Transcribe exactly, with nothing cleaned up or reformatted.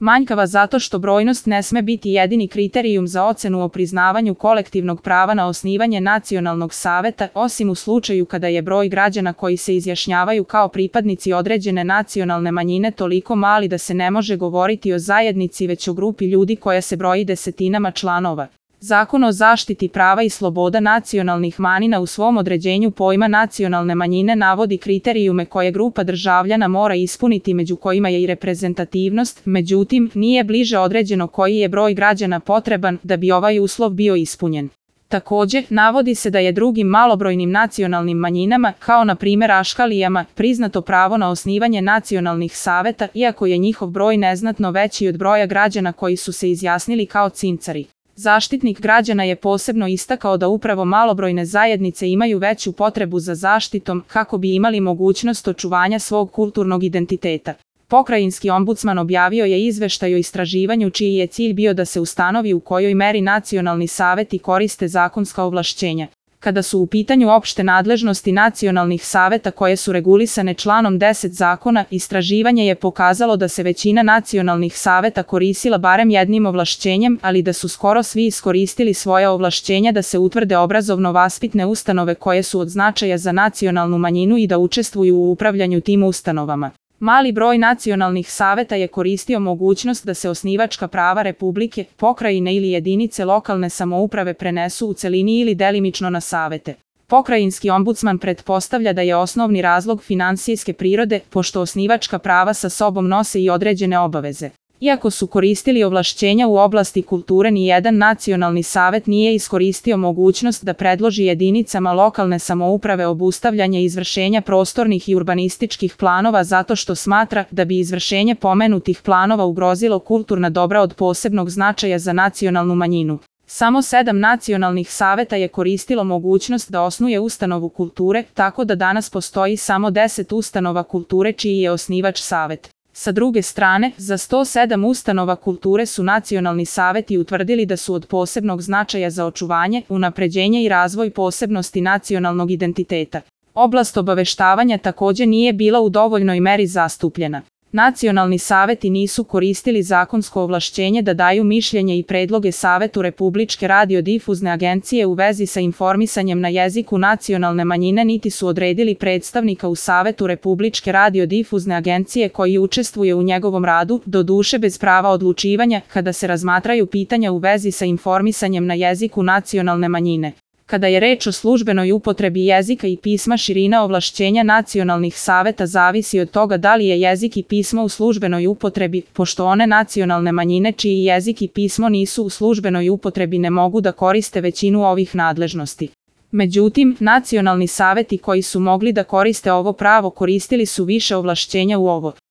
Manjkava zato što brojnost ne sme biti jedini kriterijum za ocenu o priznavanju kolektivnog prava na osnivanje nacionalnog saveta, osim u slučaju kada je broj građana koji se izjašnjavaju kao pripadnici određene nacionalne manjine toliko mali da se ne može govoriti o zajednici već o grupi ljudi koja se broji desetinama članova. Zakon o zaštiti prava i sloboda nacionalnih manjina u svom određenju pojma nacionalne manjine navodi kriterijume koje grupa državljana mora ispuniti, među kojima je i reprezentativnost, međutim, nije bliže određeno koji je broj građana potreban da bi ovaj uslov bio ispunjen. Također, navodi se da je drugim malobrojnim nacionalnim manjinama, kao na primjer Aškalijama, priznato pravo na osnivanje nacionalnih saveta, iako je njihov broj neznatno veći od broja građana koji su se izjasnili kao Cincari. Zaštitnik građana je posebno istakao da upravo malobrojne zajednice imaju veću potrebu za zaštitom kako bi imali mogućnost očuvanja svog kulturnog identiteta. Pokrajinski ombudsman objavio je izveštaj o istraživanju čiji je cilj bio da se ustanovi u kojoj meri nacionalni saveti koriste zakonska ovlašćenja. Kada su u pitanju opšte nadležnosti nacionalnih saveta koje su regulisane članom deset zakona, istraživanje je pokazalo da se većina nacionalnih saveta koristila barem jednim ovlašćenjem, ali da su skoro svi iskoristili svoja ovlašćenja da se utvrde obrazovno-vaspitne ustanove koje su od značaja za nacionalnu manjinu i da učestvuju u upravljanju tim ustanovama. Mali broj nacionalnih saveta je koristio mogućnost da se osnivačka prava republike, pokrajine ili jedinice lokalne samouprave prenesu u celini ili delimično na savete. Pokrajinski ombudsman pretpostavlja da je osnovni razlog finansijske prirode, pošto osnivačka prava sa sobom nose i određene obaveze. Iako su koristili ovlašćenja u oblasti kulture, ni jedan nacionalni savet nije iskoristio mogućnost da predloži jedinicama lokalne samouprave obustavljanje izvršenja prostornih i urbanističkih planova zato što smatra da bi izvršenje pomenutih planova ugrozilo kulturna dobra od posebnog značaja za nacionalnu manjinu. Samo sedam nacionalnih saveta je koristilo mogućnost da osnuje ustanovu kulture, tako da danas postoji samo deset ustanova kulture čiji je osnivač savet. Sa druge strane, za sto sedam ustanova kulture su nacionalni saveti utvrdili da su od posebnog značaja za očuvanje, unapređenje i razvoj posebnosti nacionalnog identiteta. Oblast obaveštavanja također nije bila u dovoljnoj meri zastupljena. Nacionalni saveti nisu koristili zakonsko ovlašćenje da daju mišljenje i predloge Savetu Republičke radiodifuzne agencije u vezi sa informisanjem na jeziku nacionalne manjine, niti su odredili predstavnika u Savetu Republičke radiodifuzne agencije koji učestvuje u njegovom radu, doduše bez prava odlučivanja, kada se razmatraju pitanja u vezi sa informisanjem na jeziku nacionalne manjine. Kada je reč o službenoj upotrebi jezika i pisma, širina ovlašćenja nacionalnih saveta zavisi od toga da li je jezik i pismo u službenoj upotrebi, pošto one nacionalne manjine čiji jezik i pismo nisu u službenoj upotrebi ne mogu da koriste većinu ovih nadležnosti. Međutim, nacionalni saveti koji su mogli da koriste ovo pravo koristili su više ovlašćenja u ovo